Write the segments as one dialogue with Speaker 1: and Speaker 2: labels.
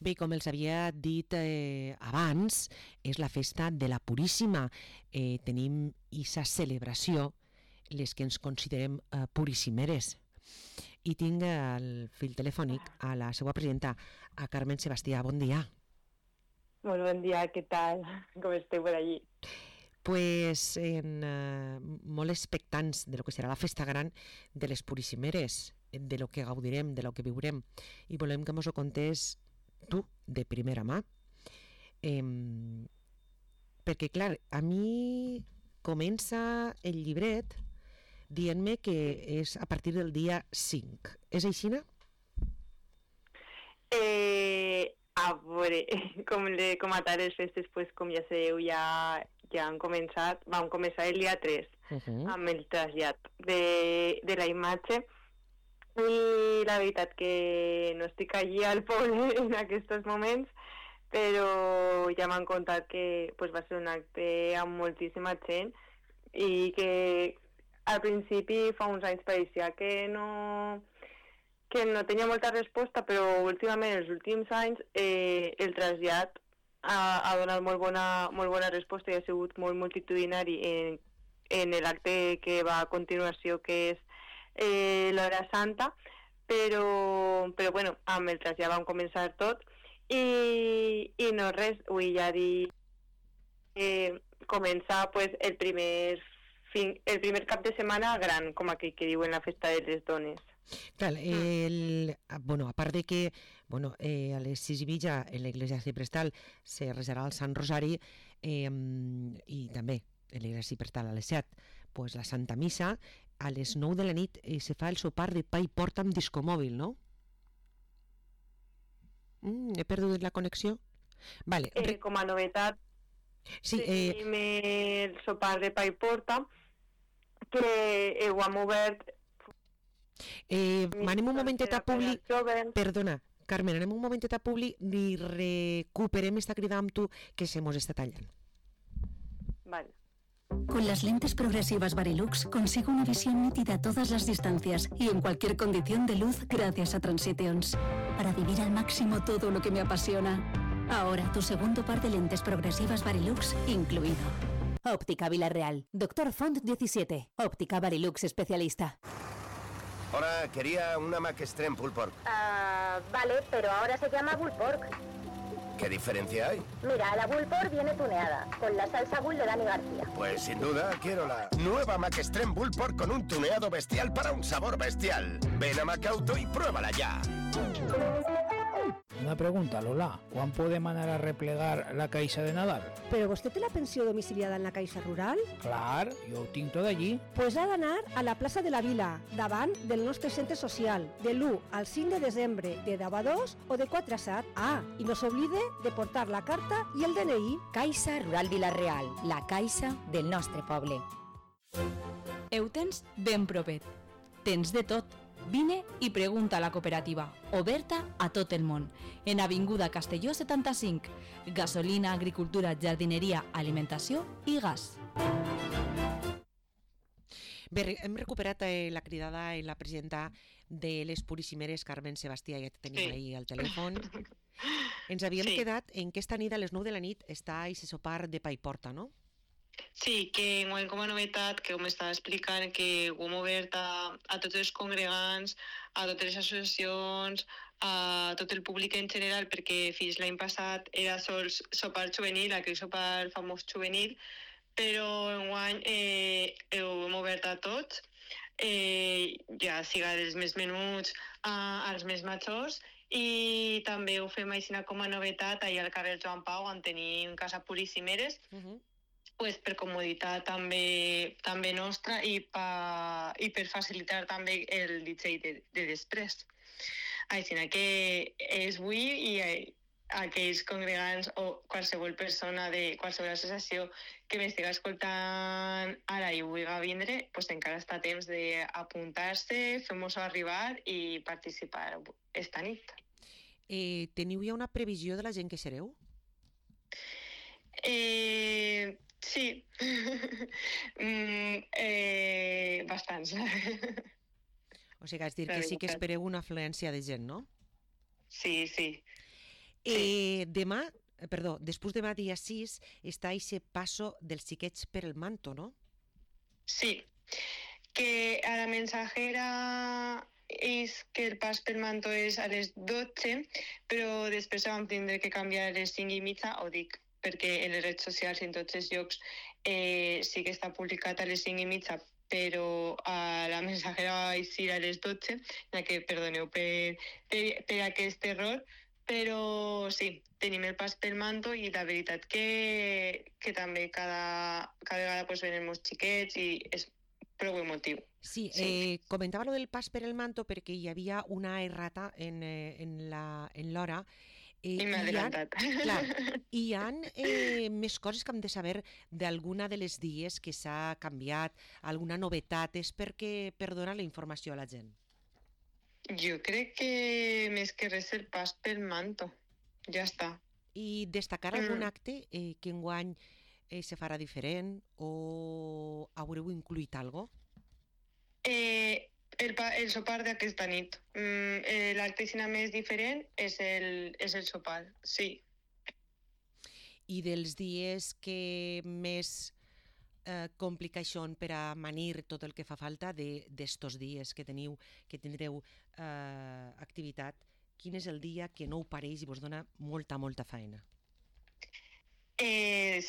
Speaker 1: Bé, com els havia dit abans, és la festa de la Puríssima. Tenim aquesta celebració, les que ens considerem puríssimeres. I tinc el fil telefònic a la seva presidenta, a Carmen Sebastià. Bon dia.
Speaker 2: Molt bon dia, què tal? Com esteu per allí?
Speaker 1: Pues molt expectants de lo que serà la festa gran de les puríssimeres, de lo que gaudirem, de lo que viurem, i volem que mos ho contés tu de primera mà, perquè clar, a mi comença el llibret dient-me que és a partir del dia 5. És aixina?
Speaker 2: A veure, com a tal les festes, pues, com ja sabeu, ja han començat. Vam començar el dia 3 amb el trasllat de la imatge, i la veritat que no estic allí al poble en aquests moments, però ja m'han contat que pues, va ser un acte amb moltíssima gent i que al principi fa uns anys pareixia que no tenia molta resposta, però últimament, els últims anys, el trasllat ha donat molt bona resposta i ha sigut molt multitudinari en l'acte que va a continuació, que és l'hora santa, però bueno, amb el trasllat vam començar tot i no res, vull ja dir començar pues, el primer cap de setmana gran, com aquell que diuen la festa de les dones.
Speaker 1: Clar, a part de que a les 6:30 en l'església Ciprestal se resarà el Sant Rosari, i també en l'església Ciprestal a les 7 pues, la Santa Missa, a les 9 de la nit se fa el sopar de pa i porta amb discomòbil, no? He perdut la connexió? Vale.
Speaker 2: Com a novetat,
Speaker 1: sí,
Speaker 2: tenim el sopar de pa i porta, que ho hem obert.
Speaker 1: Anem un momentet a Publi. Perdona, Carmen, anem un momentet a Publi i recuperem esta crida amb tu que se mos està tallant.
Speaker 2: Vale.
Speaker 3: Con las lentes progresivas Varilux consigo una visión nítida a todas las distancias y en cualquier condición de luz gracias a Transitions, para vivir al máximo todo lo que me apasiona. Ahora tu segundo par de lentes progresivas Varilux incluido. Óptica Villarreal, Dr. Font 17, Óptica Varilux especialista.
Speaker 4: Hola, quería una Mac Extreme Pulled Pork.
Speaker 5: Vale, pero ahora se llama Pulled Pork.
Speaker 4: ¿Qué diferencia hay?
Speaker 5: Mira, la Pulled Pork viene tuneada, con la salsa Bull de Dani García.
Speaker 4: Pues sin duda quiero la nueva Mac Extreme Pulled Pork con un tuneado bestial para un sabor bestial. Ven a Macauto y pruébala ya.
Speaker 6: Una pregunta, Lola. ¿Quan podem anar a replegar la caixa de Nadal?
Speaker 7: ¿Però vostè té la pensió domiciliada en la Caixa Rural?
Speaker 6: Clar, jo ho tinc tot allí.
Speaker 7: Pues ha d'anar a la plaça de la Vila, davant del nostre centre social, de l'1 al 5 de desembre, de 10 a 2 o de 4 a 7. I no s'oblide de portar la carta i el DNI.
Speaker 8: Caixa Rural Vila-real, la caixa del nostre poble.
Speaker 9: Ho tens ben propet. Tens de tot. Vine i pregunta a la cooperativa, oberta a tot el món, en Avinguda Castelló 75, gasolina, agricultura, jardineria, alimentació i gas.
Speaker 1: Bé, hem recuperat la cridada i la presidenta de les Puríssimeres, Carmen Sebastià, ja tenim ahí al telèfon. Ens havíem quedat en que esta nit a les 9 de la nit està aquest sopar de pa i porta, no?
Speaker 2: Sí, que com a novetat, que m'estava explicant, que ho hem obert a tots els congregants, a totes les associacions, a tot el públic en general, perquè fins l'any passat era sols sopar juvenil, aquell sopar famós juvenil, però enguany ho hem obert a tots, ja siga dels més menuts als més majors, i també ho fem així com a novetat allà al carrer Joan Pau, on tenim Casa Puríssimeres, pues per comoditat també nostra i per facilitar també el DJ de després. Així que és avui i aquells congregants o qualsevol persona de qualsevol associació que m'estiga escoltant ara i vulgui vindre, pues encara està a temps d'apuntar-se, fer-nos-ho arribar i participar esta nit.
Speaker 1: Teniu ja una previsió de la gent que sereu?
Speaker 2: Sí, bastants.
Speaker 1: O sigui, és dir que sí que espereu una afluència de gent, no?
Speaker 2: Sí.
Speaker 1: Després demà dia 6 està aquest passo dels xiquets per el manto, no?
Speaker 2: Sí, que a la mensajera és que el pas pel manto és a les 12, però després vam tindre que canviar a les 5:30, ho dic perquè en les redes socials i en tots els llocs sí que està publicat a les 5:30, però a la mensajera va eixir a les 12, ja que perdoneu per aquest error, però sí, tenim el pas pel manto i la veritat que també cada vegada pues, venen molts xiquets i és prou emotiu.
Speaker 1: Sí, comentava lo del pas per el manto perquè hi havia una errata en l'hora.
Speaker 2: I m'he adelantat.
Speaker 1: Hi ha més coses que hem de saber d'alguna de les dies que s'ha canviat, alguna novetat, és per donar la informació a la gent?
Speaker 2: Jo crec que més que res el pas pel manto, ja està.
Speaker 1: I destacar algun acte que enguany se farà diferent o haureu incluït alguna cosa?
Speaker 2: El sopar d'aquesta nit. L'acte més diferent és el sopar, sí.
Speaker 1: I dels dies que més complica això per a manir tot el que fa falta d'estos dies que tindreu activitat, quin és el dia que no ho pareix i vos dona molta feina?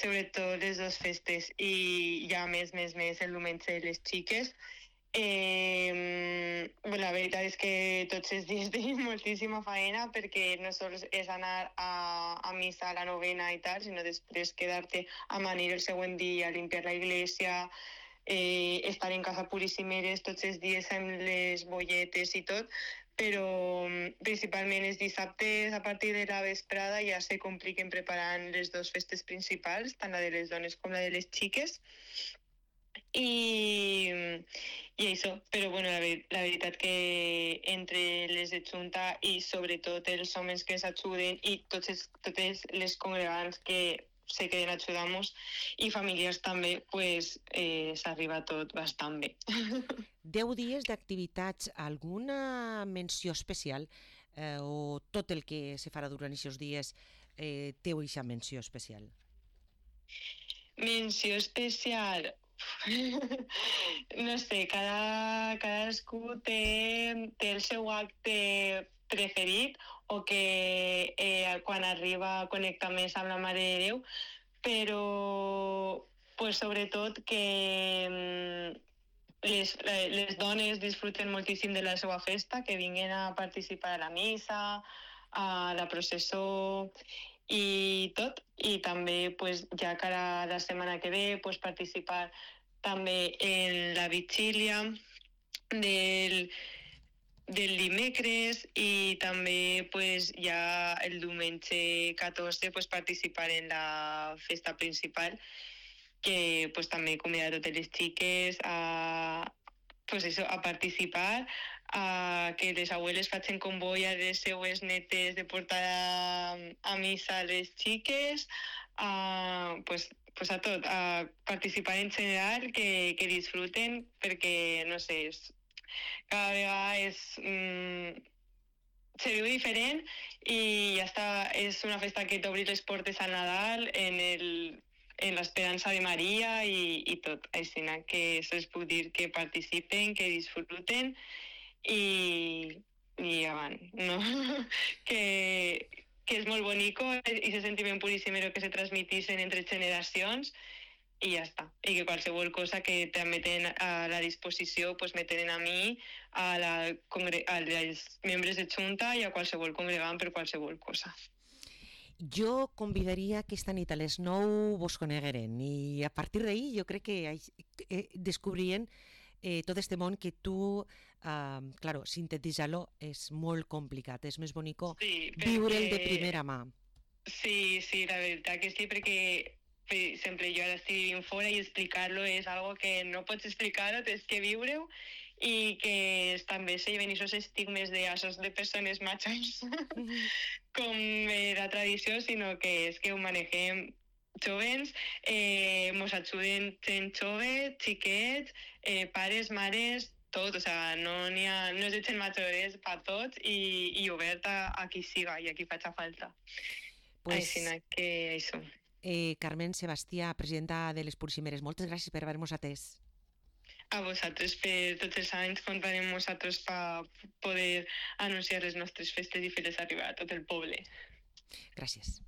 Speaker 2: Sobretot les dues festes i ja més el diumenge de les xiques. La veritat és que tots els dies tenim moltíssima feina perquè no sols és anar a missa a la novena i tal, sinó després quedar-te a manir el següent dia, limpiar la iglesia, estar en casa puríssimeres tots els dies amb les bolletes i tot, però principalment els dissabtes a partir de la vesprada ja se compliquen preparant les dues festes principals, tant la de les dones com la de les xiques. I això, però bueno, la veritat que entre les de Junta i sobretot els homes que s'ajuden i totes les congregants que se queden ajudant-nos i famílies també, pues s'arriba tot bastant bé.
Speaker 1: 10 dies d'activitats, alguna menció especial o tot el que se farà durant aquests dies té aquesta menció especial?
Speaker 2: Menció especial... No sé, cadascú té el seu acte preferit o que quan arriba connecta més amb la Mare de Déu, però pues, sobretot que les dones disfruten moltíssim de la seva festa, que vinguin a participar a la missa, a la processó i tot, i també pues, ja cara a la setmana que ve pues, participar també en la vigília del dimecres i també pues, ja el diumenge 14 pues, participar en la festa principal, que pues, també convidar a totes les xiques a participar, que les abueles facin comboi a les seues netes de portar a missa a les xiques, pues a tot, a participar en general, que disfruten, perquè, no sé, cada vegada se viu diferent i ja està, és una festa que t'obri les portes al Nadal, en l'esperança de Maria i tot. Així que això es puc dir que participen, que disfruten i avant, no? que és molt bonico i se sentiment puríssimero que se transmitixen entre generacions i ja està. I que qualsevol cosa que també tenen a la disposició pues me tenen a mi, als membres de Junta i a qualsevol congregant per qualsevol cosa.
Speaker 1: Jo convidaria aquesta nit a les 9 vos conegueren i a partir d'ahir jo crec que descobrien tot este món que tu, claro, sintetitzar-lo és molt complicat, és més bonico viure'l de primera mà.
Speaker 2: Sí, la veritat que sí, perquè per exemple jo ara estic vivint fora i explicar-lo és algo que no pots explicar-ho, tens que viure-ho i que també se lleven aquests estigmes de persones machos com la tradició, sinó que és que ho manegem jovens, mos ajuden gent jove, xiquets, pares, mares, tot, o sea, no és de gent major, és per tots i oberta a qui siga i a qui faci falta.
Speaker 1: Pues,
Speaker 2: així que això.
Speaker 1: Carmen Sebastià, presidenta de les Purximeres, moltes gràcies per haver-nos atès.
Speaker 2: A vosaltres, per tots els anys comptarem amb vosaltres per poder anunciar les nostres festes i fer-les arribar a tot el poble.
Speaker 1: Gràcies.